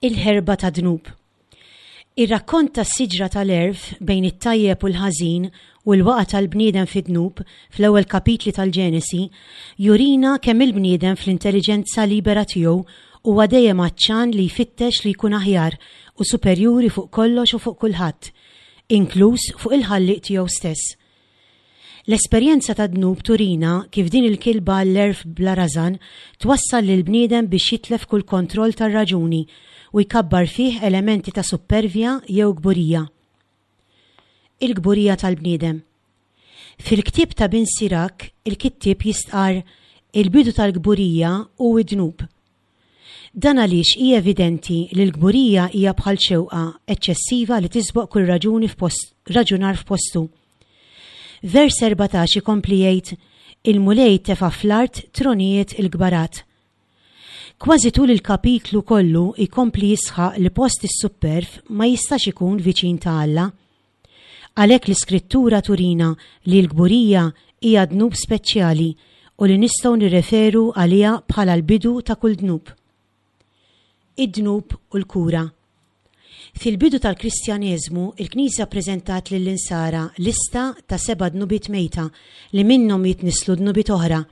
Il-ħerba tad-dnub. Ir-rakkont tas-siġra tal-għerf bejn it-tajjeb u l-ħażin u l-waqgħa tal-bniedem fid-dnub fl-ewwel kapitli tal-Ġenesi jurina kemm il-bniedem fl-intelliġenza libera tiegħu huwa dejjem għatxan li jfittex li jkun aħjar u superjuri fuq kollox u fuq kulħadd, inkluż fuq il-Ħallieq tiegħu stess. L-esperjenza tad-dnub turina kif din il-kilba għall-għerf bla rażan twassal lill-bniedem biex jitlef kull kontroll tar-raġuni u jkabbar fih elementi ta' suppervja jew kburija. Il-kburija tal-bniedem. Fil-ktieb ta' Bin Sirak, il-kittieb jistqarr, Il-bidu tal-kburija hu d-dnub. Dan għaliex hi evidenti li l-kburija hija bħal xewqa eċċessiva li tisboq kull raġuni f'post, raġunar f'postu. Vers 14 ikompli jgħid, Il-Mulej tefa' fl-art tronijiet il-kbarat. Kważi tul il-kapitlu kollu jkompli jisħaq li post is-supperv ma jistax ikun viċin ta' Alla. Għalhekk l-Iskrittura turina li l-kburija hija dnub speċjali u li nistgħu nirreferu għaliha bħala l-bidu ta' kull dnub. Id-dnub u l-kura. Fil-bidu tal-Kristjaneżmu, il-Knisja ppreżentat lill-Insara lista ta' seba' dnubiet mejta li minnhom jitnisslu dnubiet oħra.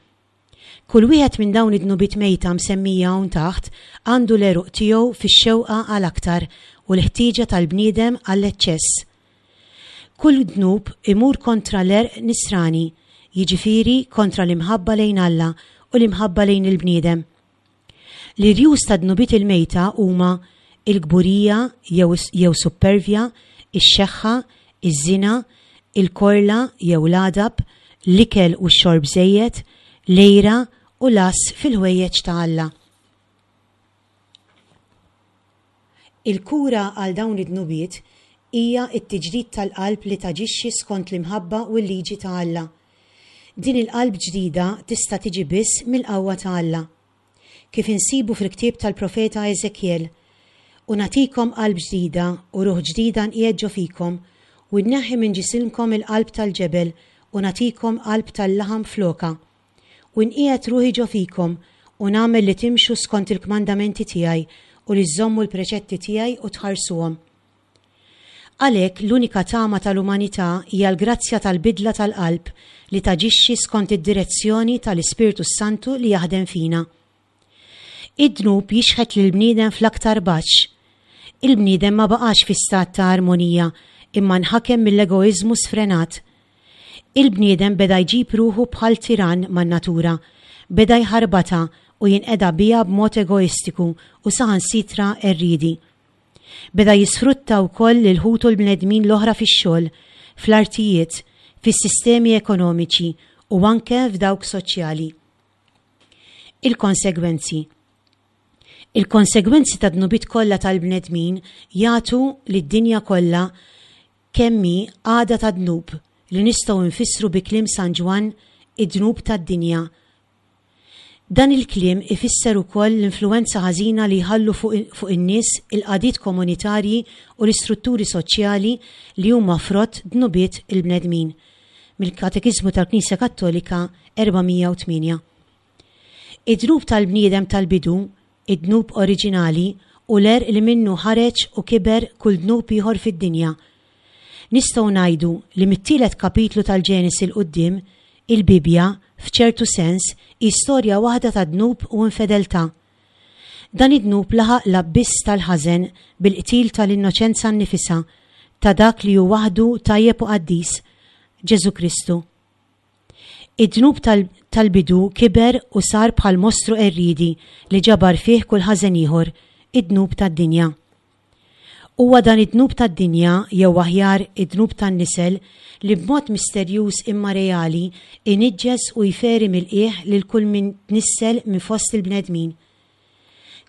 Kull wieħed minn dawn id-dnubiet mejta msemmija hawn taħt għandu l-għeruq tiegħu fix-xewqa għal aktar u l-ħtieġa tal-bniedem għall-eċċess. Kull dnub imur kontra l-għerq nisrani, jiġifieri kontra l-imħabba lejn Alla u l-imħabba lejn il-bniedem. L-irjus tad-dnubiet il-mejta huma l-kburija jew jew suppervja, ix-xeħħa, iż-żina, il-korla jew l-għadab, l-ikel u x-xorb żejjed, l-għira u l-għażż fil-ħwejjeġ ta' Alla. Il-kura għal dawn id-dnubiet hija t-tiġdid tal-qalb li taġixxi skont l-imħabba u l-liġi ta' Alla. Din il-qalb ġdida tista' tiġi biss mill-qawwa ta' Alla. Kif insibu fil-ktieb tal-profeta Eżekjel, U nagħtikom qalb ġdida u ruħ ġdida nqiegħed ġo fikom, u nneħħi minn ġisimkom il-qalb tal-ġebel u nagħtikom qalb tal-laħam flokha. U nqiegħed ruħi ġo fikom, u nagħmel li timxu skont il-kmandamenti tiegħi u li żżommu l-preċetti tiegħi u tħarsuhom. Għalhekk, l-unika tama tal-umanità hija l-grazzja tal-bidla tal-qalb li taġixxi skont id-direzzjoni tal-Ispirtu s-Santu li jaħdem fina. Id-dnub jixħet lill-bniedem fl-aktar baxx. Il-bniedem ma baqax fi stat ta' armonija imma nħakem mill-egoiżmu sfrenat. Il-bniedem beda jġib ruħu bħal tirann man-natura, beda jħarbatha u jinqeda biha b'mod egoistiku u saħansitra qerriedi. Beda jisfrutta wkoll lil ħutu l-bnedmin l-oħra fix-xogħol, fl-artijiet, fis-sistemi ekonomiċi u anke f'dawk soċjali. Il-konsegwenzi. Il-konsegwenzi tad-dnubiet kollha tal-bnedmin jagħtu lid-dinja kollha kemm hi qagħda ta' dnub li nistgħu nfissru bi kliem San Ġwann id-dnub tad-dinja Dan il-kliem ifisser ukoll l-influwenza ħażina li jħallu fuq fuq in-nies il-qagħdiet komunitarji u l-istrutturi soċjali li huma frott dnubiet il-bnedmin. Mill-Katekiżmu tal-Knisja Kattolika 408. Id-dnub tal-bniedem tal-bidu, id-dnub oriġinali, hu l-għerq li minnu ħareġ u kiber kull dnub ieħor fid-dinja. Nistgħu ngħidu li mit-tielet kapitlu tal-Ġenesi 'l quddiem, il-Bibbja, f'ċertu sens, hi storja waħda ta' dnub u infedeltà. Dan id-dnub laħaq l-abbiss tal-ħażen bil-qtil tal-innoċenza nnifisha, ta' dak li hu waħdu tajjeb u qaddis, Ġesù Kristu. Id-dnub tal-bidu kiber u sar bħal mostru qerriedi li ġabar fih kull ħażen ieħor, id-dnub tad-dinja. Huwa dan id-dnub tad-dinja, jew aħjar id-dnub tan-nisel, li b'mod misterjuż imma reali iniġġes u jferi mill-qiegħ lil kull min tnissel minn fost il-bnedmin.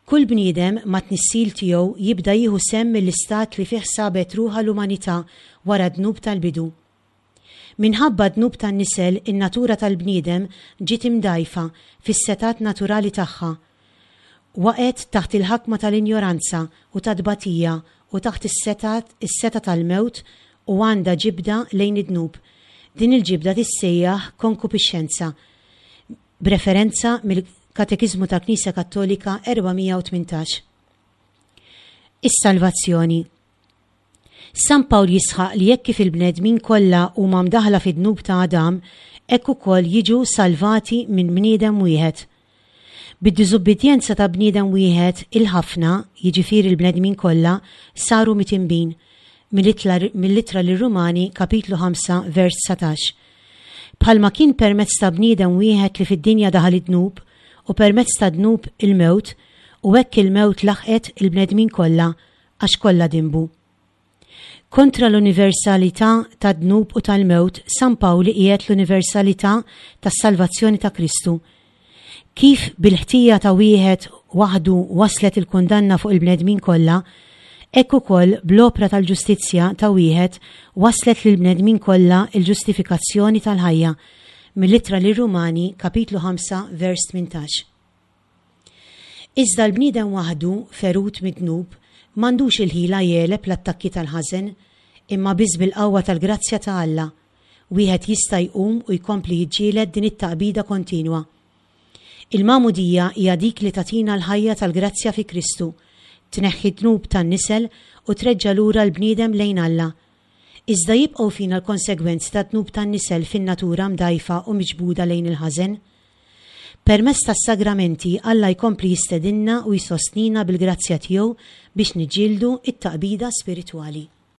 Kull bniedem mat-tnissil tiegħu jibda jieħu sehem mill-istat li fih sabet ruħha l-umanità wara d-dnub tal-bidu. Minħabba d-dnub tan-nisel in-natura tal-bniedem ġiet imdgħajfa fis-setgħat naturali tagħha. Waqgħet taħt il-ħakma tal-injoranza u tat-tbatija u taħt is-setgħat is-setgħa tal-mewt u għandha ġibda lejn id-dnub. Din il-ġibda tissejjaħ konkupixxenza, b'referenza mill-Katekiżmu tal-Knisja Kattolika 418. Is-salvazzjoni. San Pawl jisħaq li hekk kif il-bnedmin kollha huma mdaħħla fid-dnub ta' Adam, hekk ukoll jiġu salvati minn bniedem wieħed. Bid-diżubbidjenza ta' bniedem wieħed, il-ħafna, jiġifieri l-bnedmin kollha, saru mitinbin, mill-Ittra lir-Rumani, kapitlu 5, vers 19. Bħalma kien permezz ta' bniedem wieħed li fid-dinja daħal id-dnub, u permezz tad-dnub il-mewt, u hekk il-mewt laħqet il-bnedmin kollha, għax kollha dinbu. Kontra l-universalità tad-dnub u tal-mewt, San Pawl iqiegħed l-universalità tas-salvazzjoni ta' Kristu. Kif bil-ħtija ta' wieħed waħdu waslet il-kundanna fuq il-bnedmin kollha, hekk ukoll bl-opra tal-ġustizzja ta' wieħed waslet lill-bnedmin kollha l-ġustifikazzjoni tal-ħajja, mill-Ittra lir-Rumani, kapitlu 5, vers 18. Iżda l-bniedem waħdu, ferut mid-dnub, m'għandux il-ħila jegħleb l-attakki tal-ħażen, imma biss bil-qawwa tal-grazzja ta' Alla, wieħed jista' jqum u jkompli jiġġieled din it-taqbida kontinwa. Il-Magħmudija hija dik li tagħtina l-ħajja tal-grazzja fi Kristu, tneħħi d-dnub tan-nisel u treġġa' lura l-bniedem lejn Alla. Iżda jibqgħu fina l-konsegwenzi tad-dnub tan-nisel fin-natura mdgħajfa u miġbuda lejn il-ħażen. Permezz tas-sagramenti Alla jkompli jistedinna u jsostnina bil-grazzja tiegħu biex niġġieldu t-taqbida spiritwali.